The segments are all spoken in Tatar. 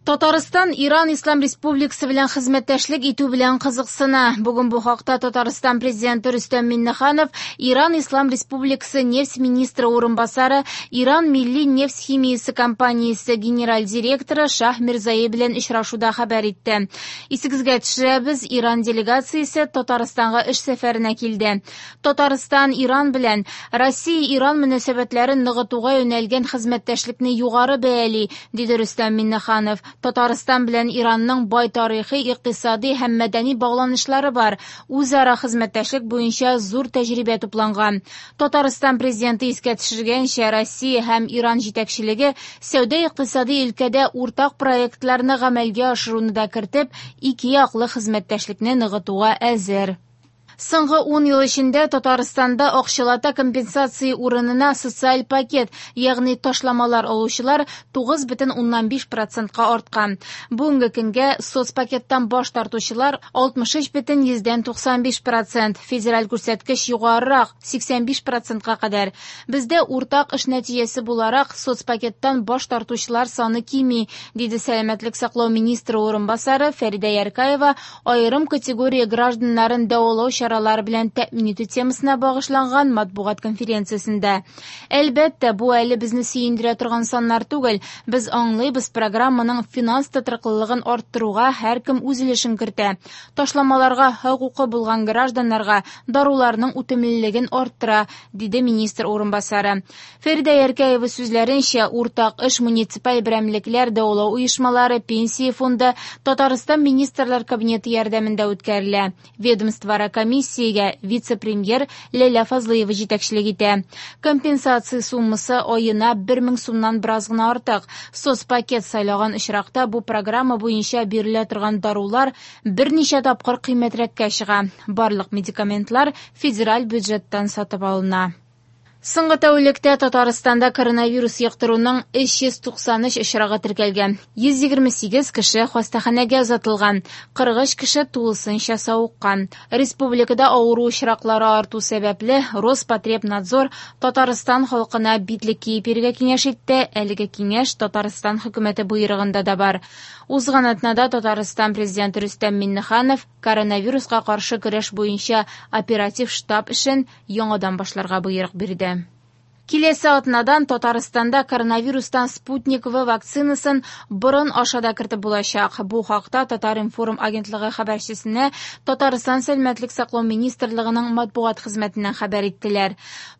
Татарстан Иран Ислам Республикасы белән хезмәттәшлек итү белән кызыксына. Бүген бу хакта Татарстан президенты Рөстәм Миңнеханов Иран Ислам Республикасы нефть министры урынбасары, Иран милли нефть химиясе компаниясе генераль директоры Шаһ Мирзаи белән очрашуда хәбәр итте. Исегезгә төшерәбез, Иран делегациясе Татарстанга эш сәфәренә килде. Татарстан Иран белән Россия-Иран мөнәсәбәтләрен ныгытуга юнәлгән хезмәттәшлекне югары бәяли, диде Рөстәм Миңнеханов. Татарстан белән Иранның бай тарихи, икътисади һәм мәдәни багланышлары бар. Үзара хезмәттәшлек буенча зур тәҗрибә тупланган. Татарстан президенты искә төшергәнчә, Россия һәм Иран җитәкчелеге сәүдә-икътисади өлкәдә уртак проектларны гамәлгә ашыруны да кертеп, ике яклы хезмәттәшлекне ныгытуга әзер. Соңгы 10 ел эчендә Татарстанда акчалата компенсация урынына социаль пакет, ягъни ташламалар алучылар 9,5%-ка арткан. Бүгенге көнгә соцпакеттан баш тартучылар 63,95%, федераль күрсәткеч югарырак 85%-ка кадәр. Бездә уртак эш нәтиҗәсе буларак соцпакеттан баш тартучылар саны кими, диде сәламәтлек саклау министры урынбасары Фәридә Яркаева аерым категория гражданнарын дәвалау чаралары белән тәэмин итү темасына багышланган матбугат конференциясендә. Әлбәттә, бу әле безне сөендерә торган саннар түгел. Без аңлыйбыз, программаның финанс тотрыклылыгын арттыруга һәркем үз өлешен кертә. Ташламаларга хокукы булган гражданнарга даруларның үтемлелеген арттыра, диде министр урынбасары. Фәридә Яркәева сүзләренчә, уртак эш муниципаль берәмлекләр, дәвалау оешмалары, пенсия фонды, Татарстан Министрлар Кабинеты ярдәмендә үткәрелә. Ведомствоара комиссиягә вице-премьер Ләйлә Фазлыева җитәкчелек итә. Компенсация суммасы аена 1000 сумнан бераз гына артык. Соцпакет сайлаган очракта бу программа буенча бирелә торган дарулар берничә тапкыр кыйммәтрәккә чыга. Барлык медикаментлар федераль бюджеттан сатып алына. Соңгы тәүлектә Татарстанда коронавирус йоктыруның 393 очрагы теркәлгән. 128 кеше хастаханәгә озатылган, 43 кеше тулысынча савыккан. Республикада авыру очраклары арту сәбәпле, Роспотребнадзор Татарстан халкына битлек киеп йөрергә киңәш итте. Әлеге киңәш Татарстан хөкүмәте боерыгында да бар. Узган атнада Татарстан президенты Рөстәм Миңнеханов коронавируска каршы көрәш буенча оператив штаб эшен яңадан башларга боерык бирде. Киләсе атнадан Татарстанда коронавирустан Спутник В вакцинасын борын аша да кертеп булачак. Бу хакта Татар-информ агентлыгы хәбәрчесенә Татарстан Сәламәтлек саклау министрлыгының матбугат хезмәтеннән хәбәр иттеләр.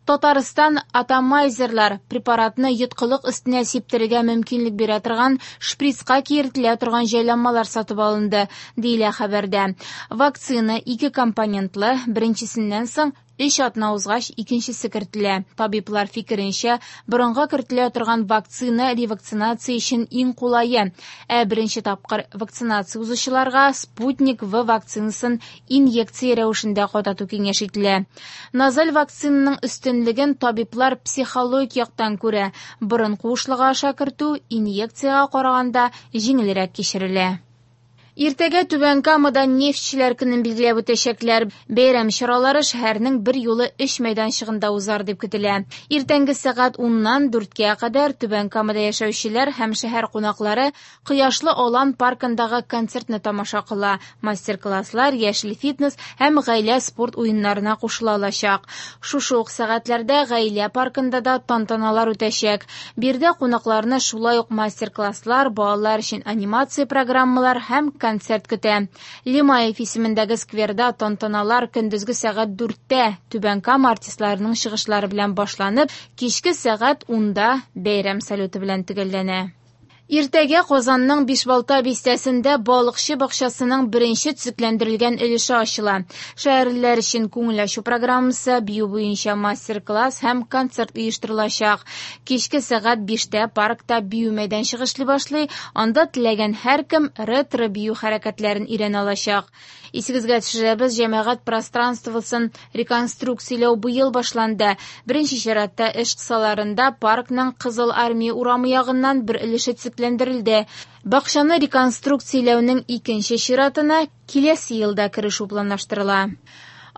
Татарстан атомайзерлар препаратны йоткылык өстенә сиптерергә мөмкинлек бирә торган шприцка киертелә торган җайланмалар сатып алынды, диелә хәбәрдә. Вакцина ике компонентлы, беренчесеннән соң 3 атна узгач икенчесе кертелә. Табиблар фикеренчә, борынга кертелә торган вакцина ревакцинация өчен иң кулае. Ә беренче тапкыр вакцинация узучыларга Спутник В вакцинасын инъекция рәвешендә катату киңәш ителә. Назаль вакцинаның өстенлеген табиблар психологик яктан күрә. Борын куышлыгы аша кертү инъекциягә караганда җиңелрәк кичерелә. Иртәгә Түбән Камада нефтьчеләр көнен билгеләп үтәчәкләр. Бәйрәм чаралары шәһәрнең бер юлы 3 мәйданчыгында узар дип көтелә. Иртәнге сәгать 10-нан 4-кә кадәр Түбән Камада яшәүчеләр һәм шәһәр кунаклары Кояшлы Алан паркындагы концертны тамаша кыла. Мастер-класслар, яшел фитнес һәм гаилә спорт уеннарына кушыла алачак. Шушы ук сәгатьләрдә гаилә паркында да тантаналар үтәчәк. Биредә кунакларны шулай ук мастер-класслар, балалар өчен анимация программалар һәм концерт көтә. Лимаев исемендәге скверда тантаналар көндезге сәгать 4-тә Түбән Кама артистларының чыгышлары белән башланып, кичке сәгать 10-да бәйрәм салюты белән төгәлләнә. Иртәгә Казанның Бишбалта бистәсендә балыкчы бакчасының беренче төзекләндерелгән өлеше ачыла. Шәһәрлеләр өчен күңел ачу программасы, бию буенча мастер-класс һәм концерт оештырылачак. Кичке сәгать 5-тә паркта бию мәйданчыгы эшли башлый, анда теләгән һәркем ретро бию хәрәкәтләрен өйрәнә алачак. Исегезгә төшерәбез, җәмәгать пространствосын реконструкцияләү быел башланды. Беренче чиратта эш кысаларында паркның Кызыл Армия урамы ягыннан бер өлеше төзекләндерелде. Бакчаны реконструкцияләүнең икенче чиратына киләсе елда керешү планлаштырыла.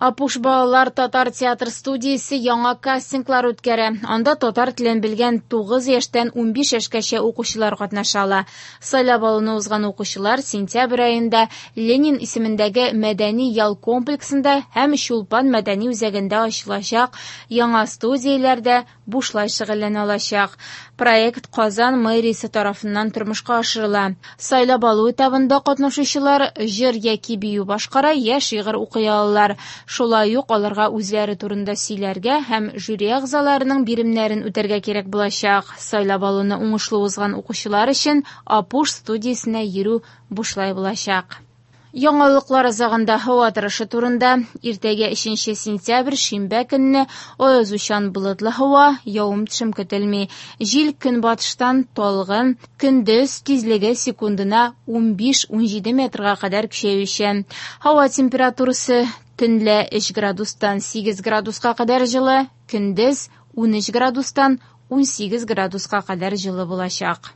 Апуш балалар татар театр студиясе яңа кастинглар үткәрә. Анда татар телен белгән 9 яшьтән 15 яшькәчә укучылар катнаша ала. Сайлап алуны узган укучылар сентябрь аенда Ленин исемендәге мәдәни ял комплексында һәм Чулпан мәдәни үзәгендә ачылачак яңа студияләрдә бушлай шөгыльләнә алачак. Проект Казан мэриясе тарафыннан тормышка ашырыла. Сайлап алу этабында катнашучылар җыр яки бию башкара, я шигырь укый алалар. Шулай ук аларга үзләре турында сөйләргә һәм жюри әгъзаларының биремнәрен үтәргә кирәк булачак. Сайлап алуны уңышлы узган укучылар өчен Апуш студиясенә йөрү бушлай булачак. Яңалыклар азагында һава торышы турында. Иртәгә 3 сентябрь шимбә көнне аязучан болытлы һава, явым-төшем көтелми. Җил көнбатыштан талгын, көндез тизлеге секундына 15-17 метрга кадәр көчәючән. Һава температурасы төнлә 3 градустан 8 градуска кадәр җылы, көндез 13 градустан 18 градуска кадәр җылы булачак.